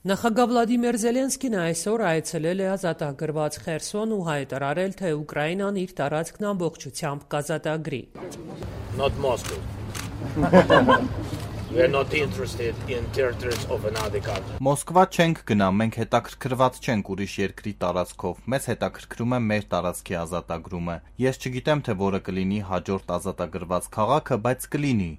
Նախագահ Վլադիմիր Զելենսկին այսօր այցելել է ազատագրված Խերսոն ու հայտարարել, թե Ուկրաինան իր տարածքն ամբողջությամբ կազատագրի։ Not Moscow. We are not interested in territories of another country. Մոսկվա չենք գնա, մենք հետաքրքրված չենք ուրիշ երկրի տարածքով, մեզ հետաքրքրում է մեր տարածքի ազատագրումը։ Ես չգիտեմ, թե որը կլինի հաջորդ ազատագրված քաղաքը, բայց կլինի։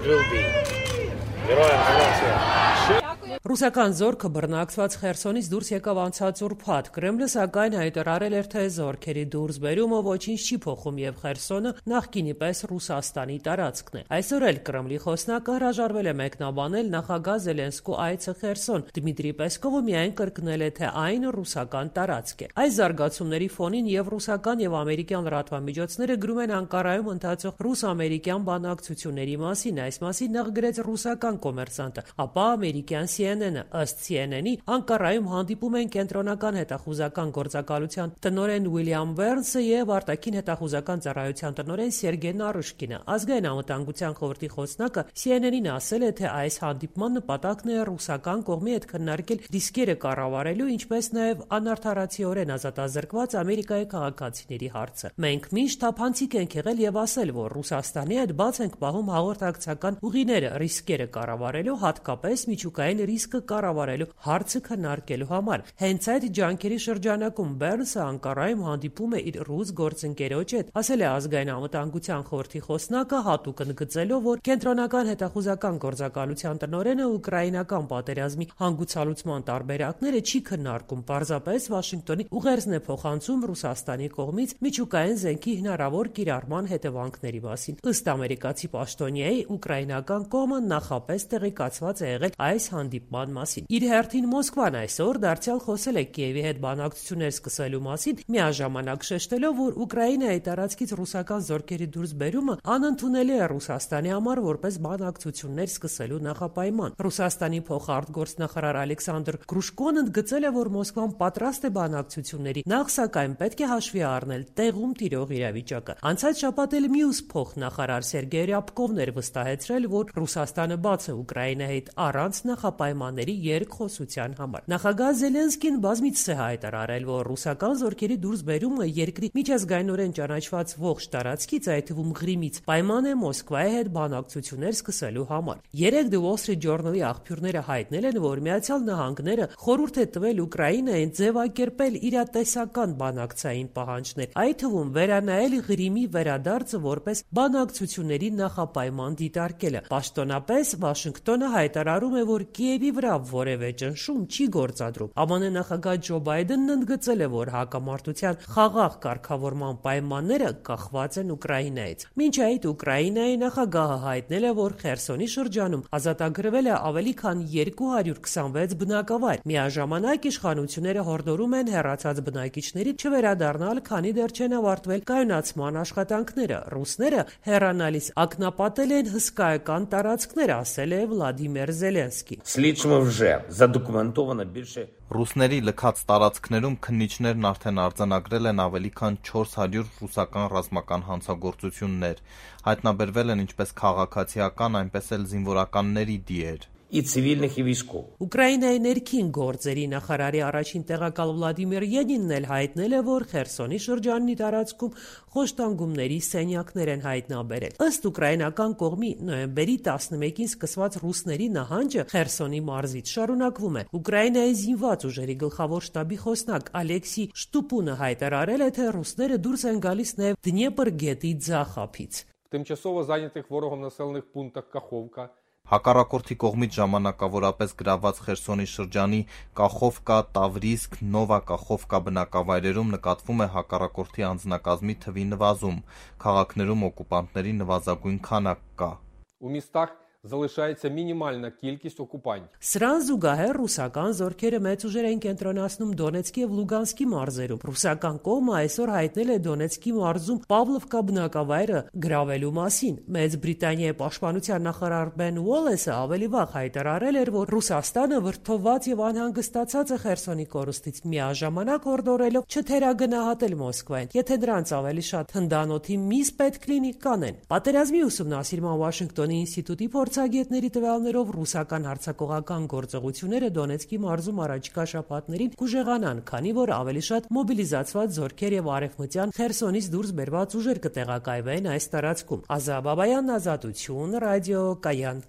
Ռուսական զորքը բռնակցված Խերսոնից դուրս եկավ անցած ուրբաթ։ Կրեմլը սակայն հայտարարել էր, թե զորքերի դուրսբերումը ոչինչ չի փոխում եւ Խերսոնը նախկինի պես Ռուսաստանի տարածքն է։ Այսօր էլ Կրեմլի խոսնակը հրաժարվել է մեկնաբանել նախագահ Զելենսկու այցը Խերսոն։ Դմիտրի Պեսկովը միայն կրկնել է, թե այն ռուսական տարածք է։ Այս զարգացումների ֆոնին եւ ռուսական եւ ամերիկյան լրատվամիջոցները գրում են Անկարայում ընթացող ռուս-ամերիկյան բանակցությունների մասին։ Այս մասին նախ գրեց ռուսական կոմերսանտը, ապա ամերիկյան CNN-ը, ըստ CNN-ի, Անկարայում հանդիպում են կենտրոնական հետախուզական գործակալության տնօրեն Ուիլյամ Բերնսը եւ արտաքին հետախուզական ծառայության տնօրեն Սերգեյ Նարուշկինը։ Ազգային անվտանգության խորհրդի խոսնակը CNN-ին ասել է, թե այս հանդիպման նպատակն է ռուսական կողմի հետ քննարկել ռիսկերը կառավարելու, ինչպես նաեւ անարդարացիորեն ազատազրկված Ամերիկայի քաղաքացիների հարցը։ Մենք միշտ թափանցիկ ենք եղել եւ ասել, որ Ռուսաստանի հետ բաց ենք պահում հաղորդակցական ուղիները ռիսկերը կառավարելու, հատկապես միջուկային ռիսկը կառավարելու հարցը քննարկելու համար։ Հենց այդ ջանքերի շրջանակում Բերնսը Անկարայում հանդիպում է իր ռուս գործընկերոջ հետ, ասել է ազգային անվտանգության խորհրդի խոսնակը, հատուկ ընդգծելով, որ կենտրոնական հետախուզական գործակալության տնօրենը ուկրաինական պատերազմի հանգուցալուծման տարբերակները չի քննարկում, պարզապես Վաշինգտոնի ուղերձն է փոխանցում Ռուսաստանի կողմից միջուկային զենքի հնարավոր կիրառման հետևանքների մասին։ Ըստ ամերիկացի պաշտոնյայի, ուկրաինական կողմը նախապես տեղեկացված է եղել այս հանդիպման մասին։ Իր հերթին Մոսկվան այսօր դարձյալ խոսել է Կիևի հետ բանակցություններ սկսելու մասին, միաժամանակ շեշտելով, որ Ուկրաինայի տարածքից ռուսական զորքերի դուրսբերումը անընդունելի է Ռուսաստանի համար որպես բանակցություններ սկսելու նախապայման։ Ռուսաստանի փոխարտգործնախարար Ալեքսանդր Գրուշկոն ընդգծել է, որ Մոսկվան պատրաստ է բանակցությունների, նախ սակայն պետք է հաշվի առնել տեղում տիրող իրավիճակը։ Անցած շաբաթ էլ մյուս փոխնախարար Սերգեյ Ռյաբկովն էր վստահեցրել, որ Ռուսաստանը բաց է Ուկրաինայի հետ առանց նախապայմանների երկխոսության համար։ Նախագահ Զելենսկին բազմիցս է հայտարարել, որ ռուսական զորքերի դուրսբերումը երկրի միջազգայինորեն ճանաչված ողջ տարածքից, այդ թվում Ղրիմից, պայման է Մոսկվայի հետ բանակցություններ սկսելու համար։ Երեկ The Wall Street Journal-ի աղբյուրները հայտնել են, որ Միացյալ Նահանգները խորհուրդ է տվել Ուկրաինային ձևակերպել իրատեսական բանակցային պահանջներ, այդ թվում վերանայել Ղրիմի վերադարձը որպես բանակցությունների նախապայման դիտարկելը։ Պաշտոնապես Վաշինգտոնը հայտարարում է, որ Կիևի վրա որևէ ճնշում չի գործադրում։ ԱՄՆ նախագահ Ջո Բայդենն ընդգծել է, որ հակամարտության խաղաղ կարգավորման պայմանները կախված են Ուկրաինայից։ Մինչ այդ Ուկրաինայի նախագահը հայտնել է, որ Խերսոնի շրջանում ազատագրվել է ավելի քան 226 բնակավայր։ Միաժամանակ իշխանությունները հորդորում են հեռացած բնակիչների չվերադառնալ, քանի դեռ չեն ավարտվել կայունացման աշխատանքները։ Ռուսները հեռանալիս ակնապատել են հսկայական տարածքներ, ասել է Վլադիմիր Զելենսկի։ Ռուսների լքած տարածքներում քննիչներն արդեն արձանագրել են ավելի քան 400 ռուսական ռազմական հանցագործություններ, հայտնաբերվել են ինչպես քաղաքացիական, այնպես էլ զինվորականների դիեր։ Ուկրաինայի ներքին գործերի նախարարի առաջին տեղակալ Վլադիմիր Ելինն էլ հայտնել է, որ Խերսոնի շրջանի տարածքում խոշտանգումների սենյակներ են հայտնաբերել։ Ըստ ուկրաինական կողմի նոյեմբերի 11-ին սկսված ռուսների նահանջը Խերսոնի մարզից շարունակվում է։ Ուկրաինայի զինված ուժերի գլխավոր շտաբի խոսնակ Ալեքսի Շտուպունը հայտարարել է, թե ռուսները դուրս են գալիս նաև Դնեպր գետի ձախ ափից։ Тимчасово зайнятих ворогом населених пунктах Каховка Հակառակորդի կողմից ժամանակավորապես գրաված Խերսոնի շրջանի Կախովկա, Տավրիսկ, Նովա Կախովկա բնակավայրերում նկատվում է հակառակորդի անձնակազմի թվի նվազում, քաղաքներում օկուպանտների նվազագույն քանակ կա։ У містах залишається мінімальна кількість окупантів. Սրան զուգահեռ ռուսական զորքերը մեծ ուժեր են կենտրոնացնում Դոնեցկի եւ Լուգանսկի մարզերում։ Ռուսական կողմը այսօր հայտնել է Դոնեցկի մարզում Պավլովկա բնակավայրը գրավելու մասին։ Մեծ Բրիտանիայի պաշտպանության նախարար Բեն Ուոլեսը ավելի վաղ հայտարարել էր, որ Ռուսաստանը վրդովված եւ անհանգստացած է Խերսոնի կորուստից, միաժամանակ հորդորելով չթերագնահատել Մոսկվային, եթե դրանց ավելի շատ հնդանոթի միս պետք լինի կանեն։ Պատերազմի ուսումնասիրման Վաշինգտոնի ինստիտուտի Փորձագետների տվյալներով ռուսական հարձակողական գործողությունները Դոնեցկի մարզում առաջիկա շաբաթներին կուժեղանան, քանի որ ավելի շատ մոբիլիզացված զորքեր եւ արևմտյան Խերսոնից դուրս բերված ուժեր կտեղակայվեն այս տարածքում։ Ազա Բաբայան, Ազատություն, ռադիո Կայան։